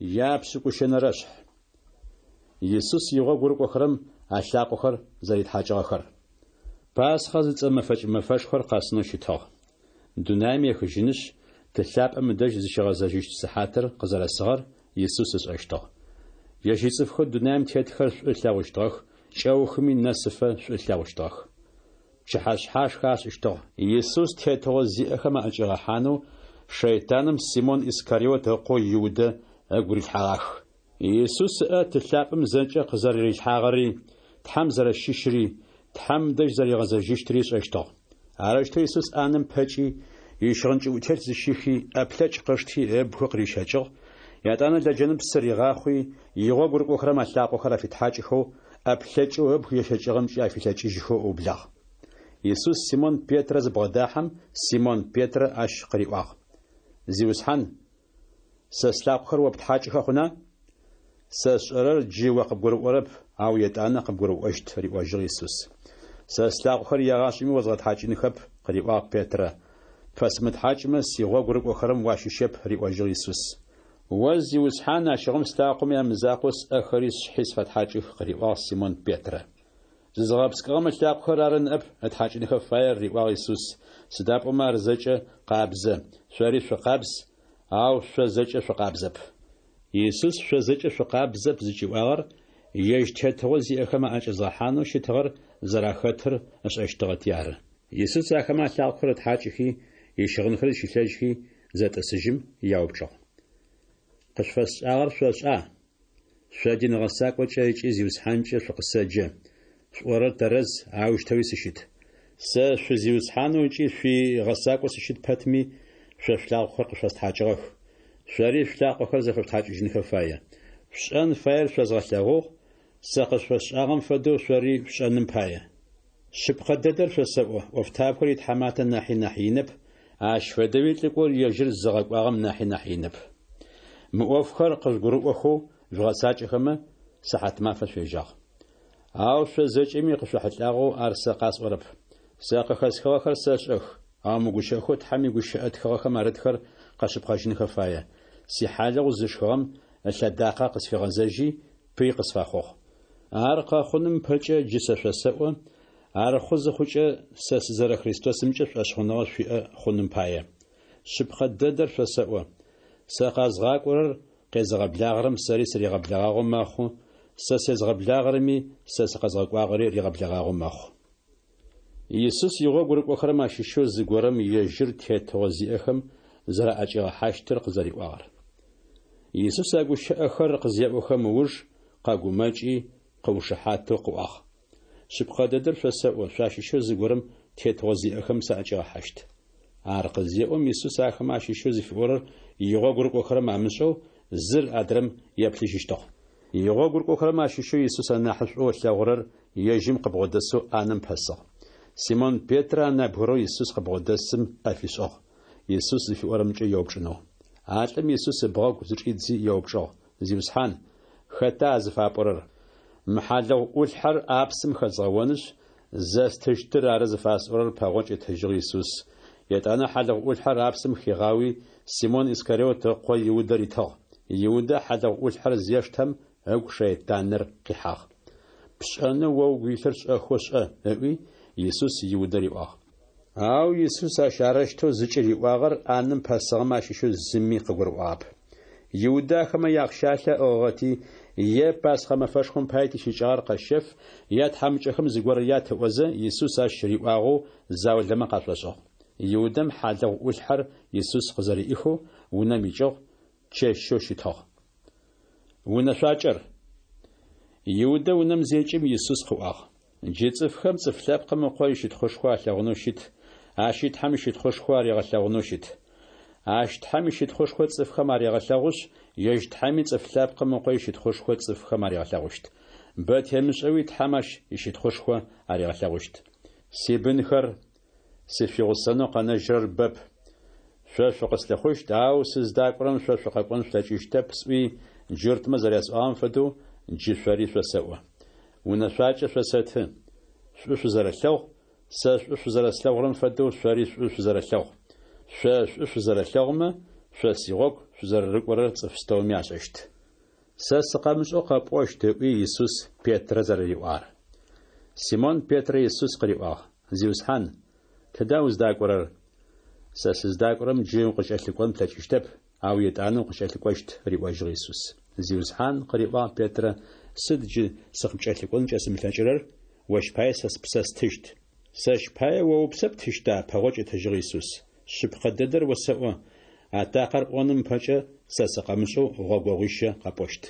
Япшӏыкӏущэнэрэшъхь. Исус игъогу рыкӏохэрэм алъакъохэр зэритхьакӏыгъэхэр. Пасхъэ зыцӏэ мэфэкӏ мэфэшхор къэсынэу щытыгъ. Дунаим ехыжьынышъ, Ты лъапӏэм ыдэжь зыщигъэзэжьыщт сыхьатыр къызэрэсыгъэр Исус ышӏэщтыгъ. Ежь ицӏыфхэу дунаим тетхэр шӏу ылъэгъущтыгъэх, кӏэухыми нэсыфэ шӏу ылъэгъущтыгъэх. Пчыхьэшъхьашхэ ашӏыщтыгъ. Исус тетыгъо зиӏэхэм аӏэкӏигъэхьанэу шэйтаным Симон Искариот ыкъоу Иудэ ыгу рилъхьэгъах. Исус ыӏэ Ты лъапӏэм зэкӏэ къызэрэрилъхьагъэри, Тхьэм зэрэщыщри, Тхьэм дэжь зэригъэзэжьыщтри ышӏэщтыгъ. Арэущтэу Исус ӏанэм пэкӏи, ищыгъын кӏыӏутелъ зыщихи, ӏэплъэкӏ къышти, ыбгы къырищэкӏыгъ, етӏанэ лэджэным псы ригъахъуи, игъогу рыкӏохэрэм алъакъохэр афитхьакӏыхэу, ӏэплъэкӏэу ыбг ещэкӏыгъэмкӏи афилъэкӏыжьхэу ыублагъ. Исус Симон Петрэ зыбгъэдахьэм, Симон Петрэ ащ къыриӏуагъ, Зиусхьан, сэ слъакъохэр о птхьакӏыхэ хъуна? Сэ сшӏэрэр джы о къыбгурыӏорэп, ау етӏанэ къыбгурыӏощт, риӏожьыгъ Исус. Сэ слъакъохэр егъашӏэми озгъэтхьакӏынхэп, къыриӏуагъ Петрэ. Пфэсымытхьакӏмэ, сигъогу рыкӏохэрэм уащыщэп, риӏожьыгъ Исус. О, Зиусхьан, ащыгъум слъакъомэ ямызакъоу сӏэхэри сшъхьи сфэтхьакӏых, къыриӏуагъ Симон Петрэ. Зызыгъэпскӏыгъэм ылъакъохэр ары ныӏэп ытхьакӏынхэ фаер, риӏуагъ Исус, сыда пӏомэ ар зэкӏэ къабзэ, шъори шъукъабз, ау шъо зэкӏэ шъукъабзэп. Исус шъо зэкӏэ шъукъабзэп зыкӏиӏуагъэр ежь тетыгъо зиӏэхэм аӏэкӏэзгъэхьанэу щытыгъэр зэрахэтыр ышӏэщтыгъэти ары. Исус ахэмэ алъакъохэр ытхьакӏыхи, ищыгъынхэр зыщилъэжьхи, зэтӏысыжьым, яупчӏыгъ. Къышъуфэсшӏагъэр шъошӏа? Шъо дин гъэсакӏокӏэ ыкӏи Зиусхьанкӏэ шъукъысэджэ, шъуӏорэр тэрэз, аущтэуи сыщыт. Сэ шъуи Зиусхьанэу ыкӏи шъуи Гъэсакӏоу сыщыт пэтми, шъо шъулъакъохэр къышъостхьакӏыгъэх. Шъори шъулъакъохэр зэфэшъутхьакӏыжьынхэ фае. Шъушӏэн фаер шъозгъэлъэгъугъ, сэ къышъуфэсшӏагъэм фэдэу шъори шъушӏэным пае. Шъыпкъэ дэдэр шъосэӏо, ӏофтабгэр итхьаматэ нахьи нахь инэп, ащ фэдэуи лӏыкӏор ежьыр зыгъэкӏуагъэм нахьи нахь инэп. Мы ӏофхэр къыжъугурыӏохэу жъугъэцакӏэхэмэ, сыхьатмафэ шъуежьагъ. Ау шъо зэкӏэми къышъохьылӏагъэу ар сэ къасӏорэп. Сэ къыхэсхыгъэхэр сэшӏэх, ау мы гущыӏэхэу Тхьэм игущыӏэ тхыгъэхэм арытхэр къэшъыпкъэжьынхэ фае, Сихьалыгъу зышхыгъэм ылъэдакъэ къысфигъэзэжьи, пый къысфэхъугъ. Ар къэхъуным ыпэкӏэ джы сэ шъосэӏо, ар хъу зыхъукӏэ, сэ сызэрэ Христосымкӏэ шӏошъхъуныгъэ шъуиӏэ хъуным пае. Шъыпкъэ дэдэр шъосэӏо, сэ къэзгъакӏорэр къезыгъэблагъэрэм сэри сыригъэблэгъагъэу мэхъу, сэ сезгъэблагъэрэми сэ сыкъэзгъэкӏуагъэри ригъэблэгъагъэу мэхъу. Исус игъогу рыкӏохэрэм ащыщэу зыгорэм ежьыр тетыгъо зиӏэхэм зэраӏэкӏигъэхьащтыр къызэриӏуагъэр. Исус а гущыӏэхэр къызеӏохэм ыуж къэгумэкӏи, къыушыхьатэу къыӏуагъ. Шъыпкъэ дэдэр шъосэӏо, шъуащыщэу зыгорэм тетыгъо зиӏэхэм саӏэкӏигъэхьащт. Ар къызеӏом, Исус ахэмэ ащыщэу зыфиӏорэр игъогу рыкӏохэрэм амышӏэу, зыр адрэм еплъыжьыщтыгъ. Игъогу рыкӏохэрэм ащыщэу Исус анахьышӏоу ылъэгъурэр ежьым къыбгъодэсэу ӏанэм пэсыгъ. Симон Петрэ а нэбгырэу Исус къыбгъодэсым ӏэ фишӏыгъ, Исус зыфиӏорэмкӏэ еупчӏынэу. А лӏым Исус ыбгъэгу зычӏидзи еупчӏыгъ, Зиусхьан, хэта а зыфапӏорэр? Мы хьалыгъу ӏулъхьэр ӏапсым хэзгъэонышъ, зэстыщтыр ары зыфасӏорэр, пэгъокӏ ытыжьыгъ Исус. Етӏанэ хьалыгъу ӏулъхьэр апсым хигъауи, Симон Искариот ыкъо Иудэ ритыгъ. Иудэ хьалыгъу ӏулъхьэр зештэм, ыгу шэйтаныр къихьагъ. Пшӏэнэу о угу илъыр шӏэхэу шӏэ, ыӏуи, Исус Иудэ риӏуагъ. Ау Исус ащ арэущтэу зыкӏыриӏуагъэр ӏанэм пэсыгъэмэ ащыщэу зыми къыгурыӏуагъэп. Иудэ ахэмэ яахъщалъэ ыӏыгъыгъэти, е Пасхъэ мэфэшхом пае тищыкӏагъэр къэщэф, е тхьамыкӏэхэм зыгорэ ят ыӏозэ, Исус ащ риӏуагъэу заулэмэ къашӏошӏыгъ. Иудэм хьалыгъу ӏулъхьэр Исус къызэриӏихэу унэм икӏыгъ, чэщэу щытыгъ. Унэшъуакӏэр. Иудэ унэм зекӏым, Исус къыӏуагъ, Джы цӏыфхэм Цӏыф Лъэпкъым Ыкъо ищытхъушхо алъэгъунэу щыт, ащи Тхьэм ищытхъушхо аригъэлъэгъунэу щыт. Ащ Тхьэм ищытхъушхо цӏыфхэм арегъэлъэгъушъ, ежь Тхьэми Цӏыф Лъэпкъым Ыкъо ищытхъушхо цӏыфхэм аригъэлъэгъущт. Бэ темышӏэуи Тхьэм ащ ищытхъушхо аригъэлъэгъущт. Сибынхэр, сышъуигъусэнэу къэнэжьрэр бэп. Шъо шъукъыслъыхъущт, ау сыздакӏорэм шъо шъукъэкӏон шъулъэкӏыщтэп сӏуи, джуртмэ зэрясӏуагъэм фэдэу джы шъори шъосэӏо. Унэшъуакӏэ шъосэты, шӏу шъузэрэлъэгъу, сэ шӏу шъузэрэслъэгъурэм фэдэу шъори шӏу шъузэрэлъэгъу. Шъо шӏу шъузэрэлъэгъумэ, шъо сигъогу шъузэрэрыкӏорэр цӏыф пстэуми ашӏэщт. Сэ сыкъэмышӏэу къэпӏощт, ыӏуи, Исус Петрэ зэрэриӏуагъэр. Симон Петрэ Исус къыриӏуагъ, Зиусхьан, тыда уздакӏорэр? Сэ сыздакӏорэм джы укъыскӏэлъыкӏон плъэкӏыщтэп, ау етӏанэ укъыскӏэлъыкӏощт, риӏожьыгъ Исус. Зиусхьан, къыриӏуагъ Петрэ, сыд джы сыкъыпкӏэлъыкӏон кӏэсымылъэкӏырэр? Ощ пае сэ спсэ стыщт. Сэщ пае о упсэ птыщта? пэгъокӏ ытыжьыгъ Исус. Шъыпкъэ дэдэр осэӏо, атакъэр ӏоным ыпэкӏэ, сэ сыкъэмышӏэу гъогогъуищэ къэпӏощт.